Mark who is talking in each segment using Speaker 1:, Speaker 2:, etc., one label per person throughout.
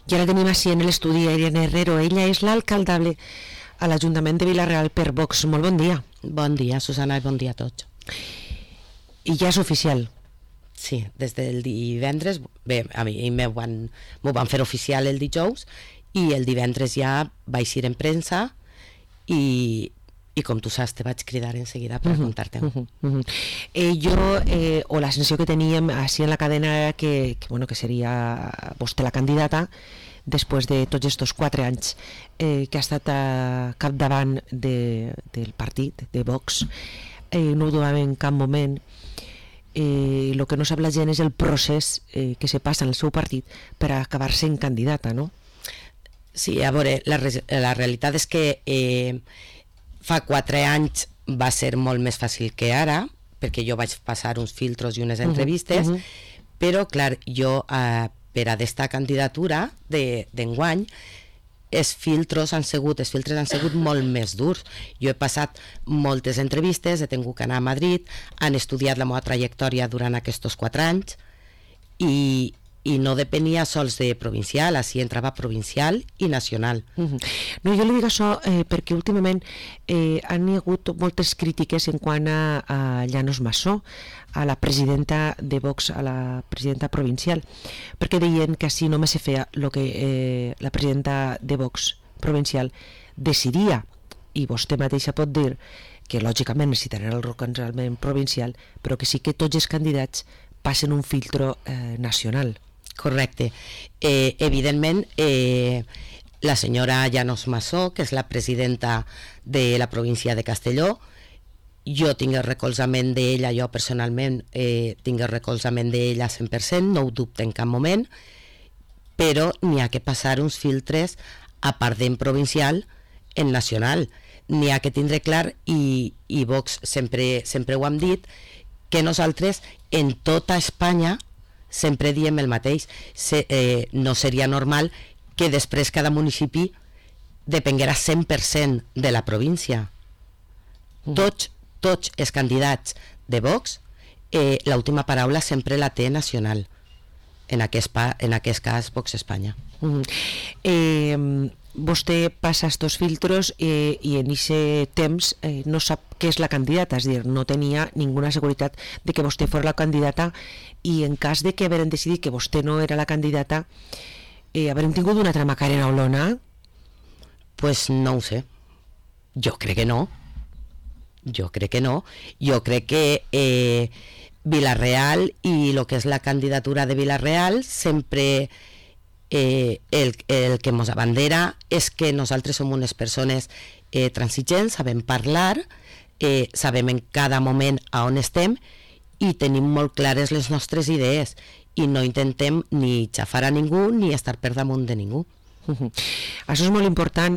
Speaker 1: I ara tenim així en l'estudi a Irene Herrero. Ella és l'alcaldable a l'Ajuntament de Vila-real per Vox. Molt bon dia.
Speaker 2: Bon dia, Susana, i bon dia a tots.
Speaker 1: I ja és oficial.
Speaker 2: Sí, des del divendres, bé, a mi m'ho van fer oficial el dijous i el divendres ja vaig ir en premsa i com tu saps te vaig cridar en seguida per contar-te-ho.
Speaker 1: O la sensació que teníem així en la cadena era que seria vostè la candidata després de tots estos 4 anys que ha estat capdavant del partit, de Vox. No ho dubtava en cap moment. El que no sap la gent és el procés que se passa en el seu partit per acabar sent candidata, no?
Speaker 2: Sí, a veure, la realitat és que fa 4 anys va ser molt més fàcil que ara, perquè jo vaig passar uns filtros i unes entrevistes, però clar, jo per a aquesta candidatura d'enguany els filtres han sigut molt més durs. Jo he passat moltes entrevistes, he tingut que anar a Madrid, han estudiat la meva trajectòria durant aquests 4 anys i no depenia sols de provincial, així entrava provincial i nacional.
Speaker 1: No, jo li dic això perquè últimament han hi hagut moltes crítiques en quant a Llanos Massó, a la presidenta de Vox, a la presidenta provincial, perquè deien que així només se feia el que la presidenta de Vox provincial decidia, i vostè mateixa pot dir que lògicament necessitarà el recolzament provincial, però que sí que tots els candidats passen un filtro nacional.
Speaker 2: Correcte. Evidentment, la senyora Llanos Massó, que és la presidenta de la província de Castelló, jo tinc el recolzament d'ella, jo personalment tinc el recolzament d'ella 100%, no ho dubte en cap moment, però n'hi ha que passar uns filtres a part d'en provincial en nacional. N'hi ha que tindre clar, i Vox sempre ho hem dit, que nosaltres en tota Espanya sempre diem el mateix. No seria normal que després cada municipi depenguera 100% de la província. Tots els candidats de Vox, l'última paraula sempre la té nacional, en aquest cas Vox Espanya.
Speaker 1: Vostè passa estos filtros i en aquest temps no sap què és la candidata, és a dir, no tenia ninguna seguretat de que vostè fos la candidata, i en cas de que hagueren decidit que vostè no era la candidata, haurem tingut una altra Macarena Olona?
Speaker 2: Pues no ho sé. Jo crec que no. Jo crec que Vila-real i el que és la candidatura de Vila-real sempre el que ens abandera és que nosaltres som unes persones transigents, sabem parlar, sabem en cada moment a on estem i tenim molt clares les nostres idees i no intentem ni xafar a ningú ni estar per damunt de ningú.
Speaker 1: Això és molt important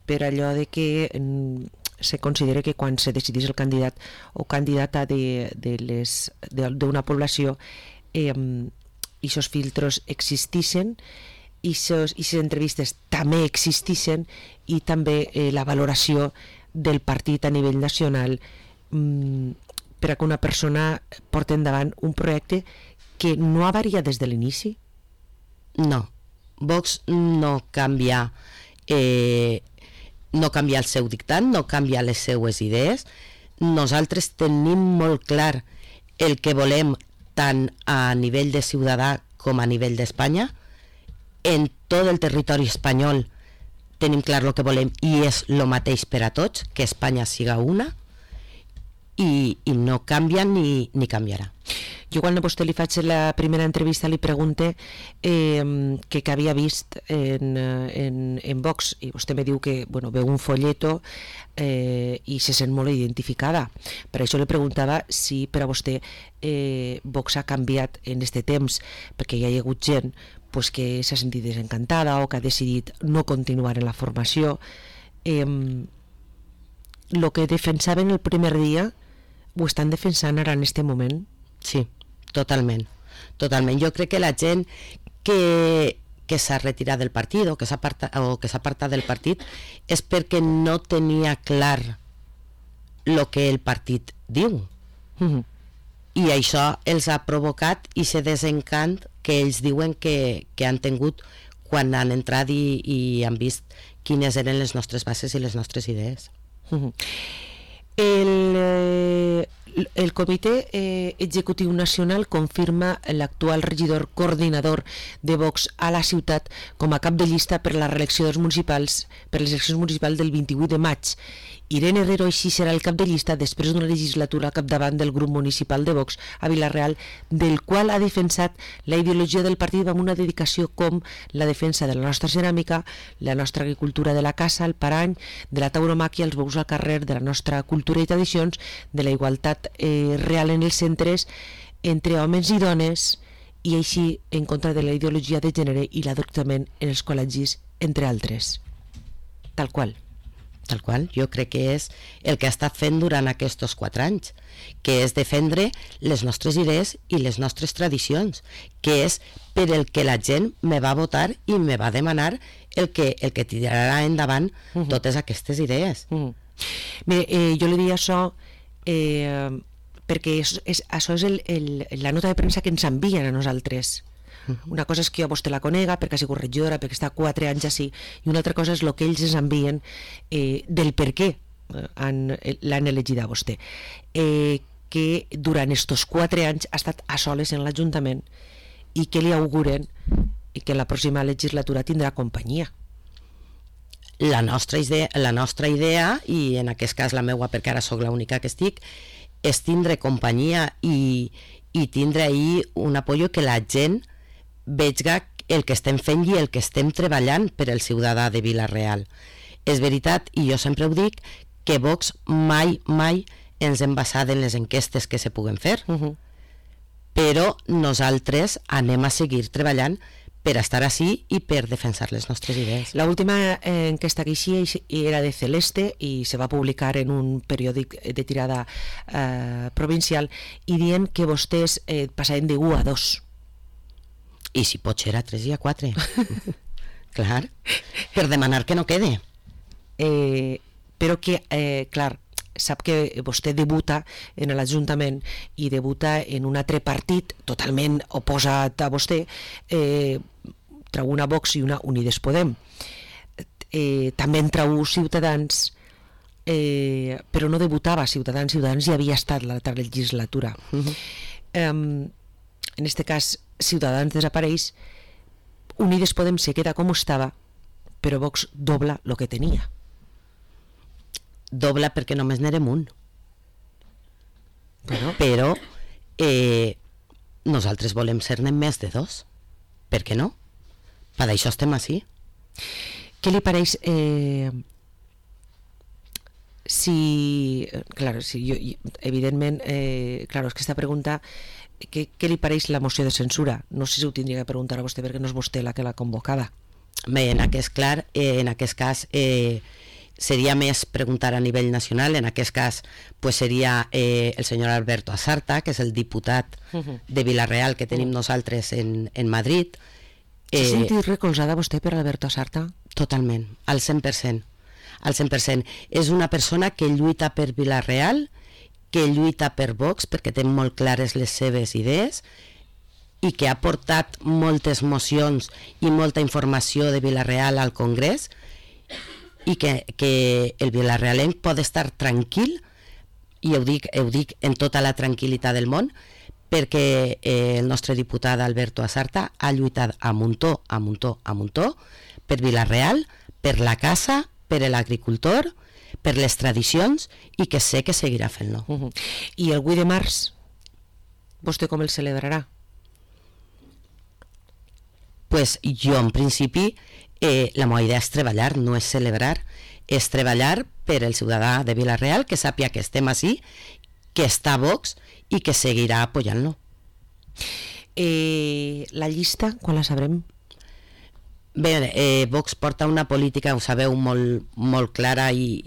Speaker 1: per allò de que se considera que quan se decidís el candidat o candidata d'una població aquests filtres existixen i aquestes entrevistes també existixen, i també la valoració del partit a nivell nacional per a que una persona porti endavant un projecte que no ha variat des de l'inici.
Speaker 2: No, Vox no canvia el seu dictat, no canvia les seues idees. Nosaltres tenim molt clar el que volem tant a nivell de ciutadà com a nivell d'Espanya. En tot el territori espanyol tenim clar el que volem i és el mateix per a tots, que Espanya siga una, i no canvia ni canviarà.
Speaker 1: Jo quan a vostè li faig la primera entrevista li pregunte què havia vist en Vox, i vostè me diu que veu un folleto i se sent molt identificada. Per això li preguntava si per a vostè Vox ha canviat en aquest temps, perquè hi ha hagut gent que s'ha sentit desencantada o que ha decidit no continuar en la formació. El que defensaven el primer dia ho estan defensant ara en aquest moment?
Speaker 2: Sí, totalment. Jo crec que la gent que s'ha retirat del partit o que s'ha apartat del partit és perquè no tenia clar el que el partit diu. I això els ha provocat i se desencant que ells diuen que han tingut quan han entrat i han vist quines eren les nostres bases i les nostres idees.
Speaker 1: El Comitè Executiu Nacional confirma l'actual regidor coordinador de Vox a la ciutat com a cap de llista per la reelecció dels municipals, per les eleccions municipals del 28 de maig. Irene Herrero així serà el cap de llista després d'una legislatura al capdavant del grup municipal de Vox a Vila-real, del qual ha defensat la ideologia del partit amb una dedicació com la defensa de la nostra ceràmica, la nostra agricultura de la caça, el parany, de la tauromàquia, els bous al carrer, de la nostra cultura i tradicions, de la igualtat real en els centres entre homes i dones, i així en contra de la ideologia de gènere i l'adoctrinament en els col·legis, entre altres. Tal qual.
Speaker 2: Tal qual, jo crec que és el que ha estat fent durant aquests 4 anys, que és defendre les nostres idees i les nostres tradicions, que és per el que la gent me va votar i me va demanar el que tirarà endavant totes aquestes idees.
Speaker 1: Bé, jo li diria això perquè això és la nota de premsa que ens envien a nosaltres. Una cosa és que jo a vostè la conega perquè ha sigut regidora, perquè està 4 anys així, i una altra cosa és el que ells ens envien del per què l'han elegit a vostè, que durant estos 4 anys ha estat a soles en l'Ajuntament i que li auguren i que en la pròxima legislatura tindrà companyia.
Speaker 2: La nostra idea, i en aquest cas la meua, perquè ara sóc l'única que estic, és tindre companyia i tindre ahir un apoyo que la gent veiga el que estem fent i el que estem treballant per el ciutadà de Vila-real. És veritat, i jo sempre ho dic, que Vox mai ens hem basat en les enquestes que se puguen fer, però nosaltres anem a seguir treballant per estar així i per defensar les nostres idees.
Speaker 1: La última enquesta que hi era de Celeste i se va publicar en un periòdic de tirada provincial i dient que vostès passaven de 1 a 2.
Speaker 2: I si pot ser a 3 i a 4. Clar, per demanar que no quede.
Speaker 1: Però que, clar, sap que vostè debuta en l'Ajuntament i debuta en un altre partit totalment oposat a vostè, trau una Vox i una Unides Podem. També en trau Ciutadans, però no debutava Ciutadans ja havia estat l'altra legislatura. En este cas, Ciutadans desapareix, Unides Podem se queda com estava, però Vox dobla el que tenia.
Speaker 2: Dobla perquè només n'érem un. Però nosaltres volem ser-ne més de 2. Per què no? Per això estem així.
Speaker 1: Què li pareix evidentment, és que aquesta pregunta, què li pareix la moció de censura? No sé si ho tindria que preguntar a vostè perquè no és vostè la que l'ha convocada.
Speaker 2: Bé, en aquest cas seria més preguntar a nivell nacional. En aquest cas seria el senyor Alberto Asarta, que és el diputat de Vila-real que tenim nosaltres en Madrid.
Speaker 1: S'ha sentit recolzada vostè per Alberto Asarta?
Speaker 2: Totalment, al 100%. Al 100%. És una persona que lluita per Vila-real, que lluita per Vox perquè té molt clares les seves idees i que ha portat moltes mocions i molta informació de Vila-real al Congrés, i que el vilarealenc pot estar tranquil, i ho dic en tota la tranquil·litat del món, perquè el nostre diputat Alberto Asarta ha lluitat a muntó per Vila-real, per la casa, per l'agricultor, per les tradicions, i que sé que seguirà fent-lo.
Speaker 1: I el 8 de març, vostè com el celebrarà?
Speaker 2: Pues jo, en principi, la meva idea és treballar, no és celebrar, és treballar per el ciutadà de Vila-real, que sàpia que estem així, que està a Vox i que seguirà apoyant-lo.
Speaker 1: La llista, quan la sabrem?
Speaker 2: Bé, Vox porta una política, ho sabeu, molt clara, i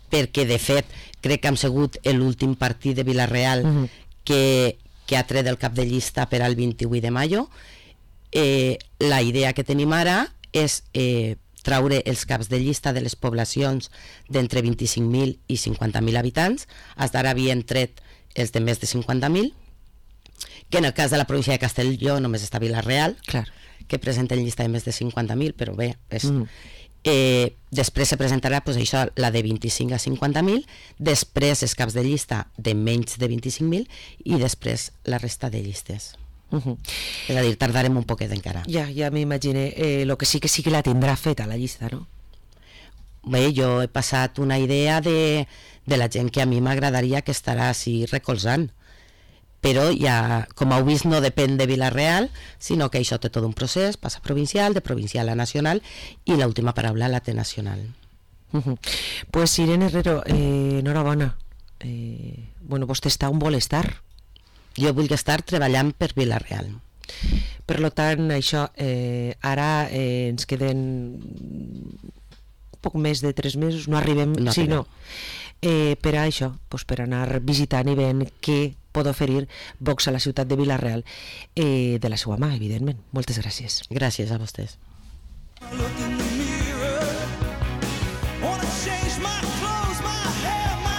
Speaker 2: perquè de fet crec que hem sigut l'últim partit de Vila-real que ha tret el cap de llista per al 28 de maio. La idea que tenim ara és traure els caps de llista de les poblacions d'entre 25.000 i 50.000 habitants. Fins ara havien tret els de més de 50.000, que en el cas de la província de Castelló només està Vila-real,
Speaker 1: Clar.
Speaker 2: que presenta en llista de més de 50.000, però bé, després se presentarà pues, això, la de 25 a 50.000, després els caps de llista de menys de 25.000 i després la resta de llistes. És a dir, tardarem un poquet encara.
Speaker 1: Ja m'imagine. Lo que sí que la tindrà feta la llista, no?
Speaker 2: Bé, jo he passat una idea de la gent que a mi m'agradaria que estarà així recolzant, però ja, com heu vist, no depèn de Vila-real, sinó que això té tot un procés, passa provincial, de provincial a nacional, i l'última paraula la té nacional.
Speaker 1: Pues Irene Herrero, enhorabona. Bueno, vostè està on vol estar.
Speaker 2: Jo vull estar treballant per Vila-real.
Speaker 1: Per tant, això, ara ens queden poc més de 3 mesos, no arribem, per a això, per anar visitant i veient què pot oferir Vox a la ciutat de Vila-real, de la seva mà, evidentment. Moltes gràcies.
Speaker 2: Gràcies a vostès.